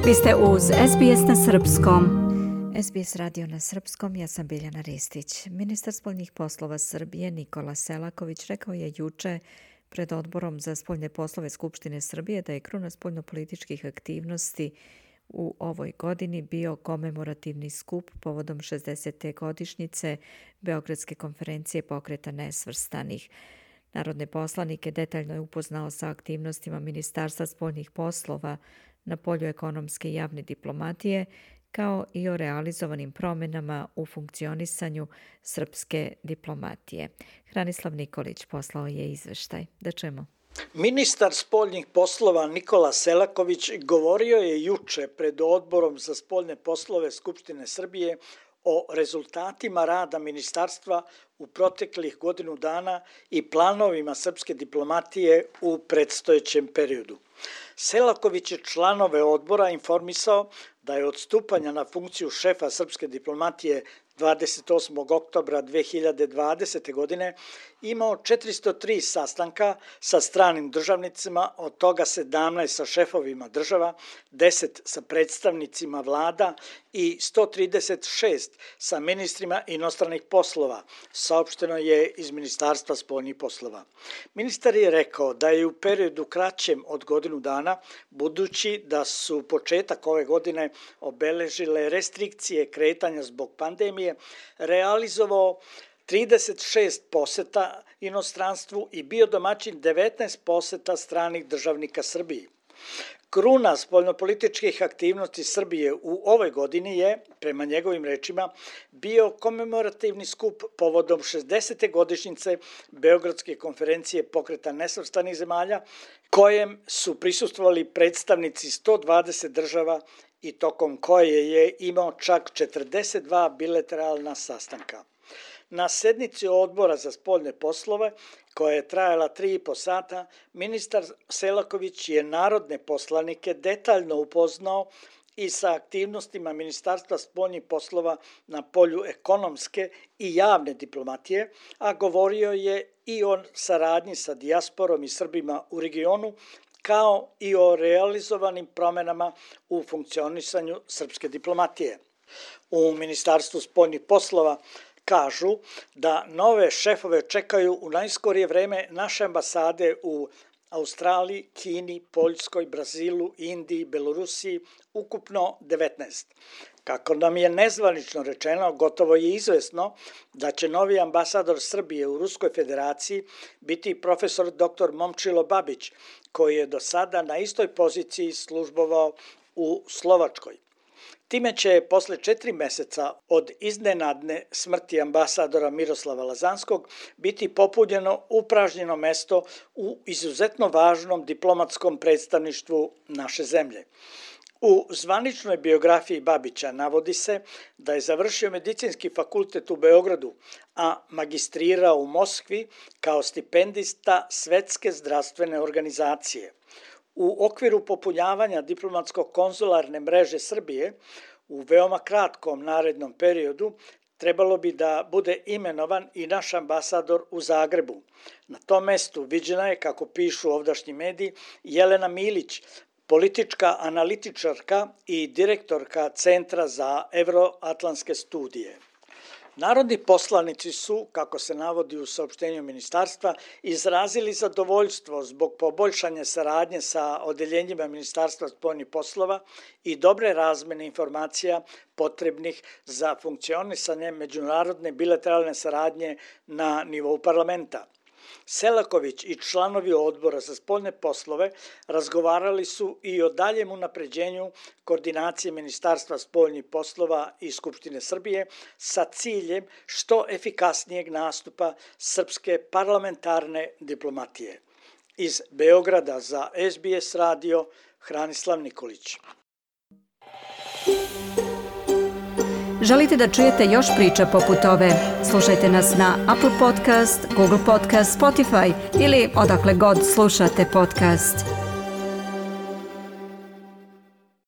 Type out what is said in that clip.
Vi ste uz SBS na Srpskom. SBS radio na Srpskom, ja sam Biljana Ristić. Ministar spoljnih poslova Srbije Nikola Selaković rekao je juče pred Odborom za spoljne poslove Skupštine Srbije da je kruna spoljnopolitičkih aktivnosti u ovoj godini bio komemorativni skup povodom 60. godišnjice Beogradske konferencije Pokreta nesvrstanih. Narodne poslanike detaljno je upoznao sa aktivnostima Ministarstva spoljnih poslova na polju ekonomske i javne diplomatije, kao i o realizovanim promjenama u funkcionisanju srpske diplomatije. Hranislav Nikolić poslao je izveštaj. Da čujemo. Ministar spoljnih poslova Nikola Selaković govorio je juče pred Odborom za spoljne poslove Skupštine Srbije o rezultatima rada ministarstva u proteklih godinu dana i planovima srpske diplomatije u predstojećem periodu. Selaković je članove odbora informisao da je od stupanja na funkciju šefa srpske diplomatije 28. oktobra 2020. godine imao 403 sastanka sa stranim državnicima, od toga 17 sa šefovima država, 10 sa predstavnicima vlada i 136 sa ministrima inostranih poslova, saopšteno je iz Ministarstva spoljnih poslova. Ministar je rekao da je u periodu kraćem od godinu dana, budući da su početak ove godine obeležile restrikcije kretanja zbog pandemije, realizovao 36 poseta inostranstvu i bio domaćin 19 poseta stranih državnika Srbiji. Kruna spoljnopolitičkih aktivnosti Srbije u ovoj godini je, prema njegovim rečima, bio komemorativni skup povodom 60. godišnjice Beogradske konferencije Pokreta nesvrstanih zemalja, kojem su prisustvovali predstavnici 120 država i tokom koje je imao čak 42 bilateralna sastanka. Na sednici Odbora za spoljne poslove, koja je trajala 3,5 sata, ministar Selaković je narodne poslanike detaljno upoznao i sa aktivnostima Ministarstva spoljnih poslova na polju ekonomske i javne diplomatije, a govorio je i o saradnji sa dijasporom i Srbima u regionu, kao i o realizovanim promjenama u funkcionisanju srpske diplomatije. U Ministarstvu spoljnih poslova kažu da nove šefove čekaju u najskorije vreme naše ambasade u Australiji, Kini, Poljskoj, Brazilu, Indiji, Belorusiji, ukupno 19. Kako nam je nezvanično rečeno, gotovo je izvesno da će novi ambasador Srbije u Ruskoj federaciji biti profesor dr. Momčilo Babić, koji je do sada na istoj poziciji službovao u Slovačkoj. Time će posle 4 meseca od iznenadne smrti ambasadora Miroslava Lazanskog biti popunjeno upražnjeno mesto u izuzetno važnom diplomatskom predstavništvu naše zemlje. U zvaničnoj biografiji Babića navodi se da je završio medicinski fakultet u Beogradu, a magistrirao u Moskvi kao stipendista Svetske zdravstvene organizacije. U okviru popunjavanja diplomatsko-konzularne mreže Srbije u veoma kratkom narednom periodu trebalo bi da bude imenovan i naš ambasador u Zagrebu. Na tom mestu viđena je, kako pišu ovdašnji mediji, Jelena Milić, politička analitičarka i direktorka Centra za evroatlantske studije. Narodni poslanici su, kako se navodi u saopštenju ministarstva, izrazili zadovoljstvo zbog poboljšanja saradnje sa odeljenjima Ministarstva spoljnih poslova i dobre razmene informacija potrebnih za funkcionisanje međunarodne bilateralne saradnje na nivou parlamenta. Selaković i članovi Odbora za spoljne poslove razgovarali su i o daljem unapređenju koordinacije Ministarstva spoljnih poslova i Skupštine Srbije sa ciljem što efikasnijeg nastupa srpske parlamentarne diplomatije. Iz Beograda za SBS radio, Hranislav Nikolić. Želite da čujete još priča poput ove? Slušajte nas na Apple Podcast, Google Podcast, Spotify ili odakle god slušate podcast.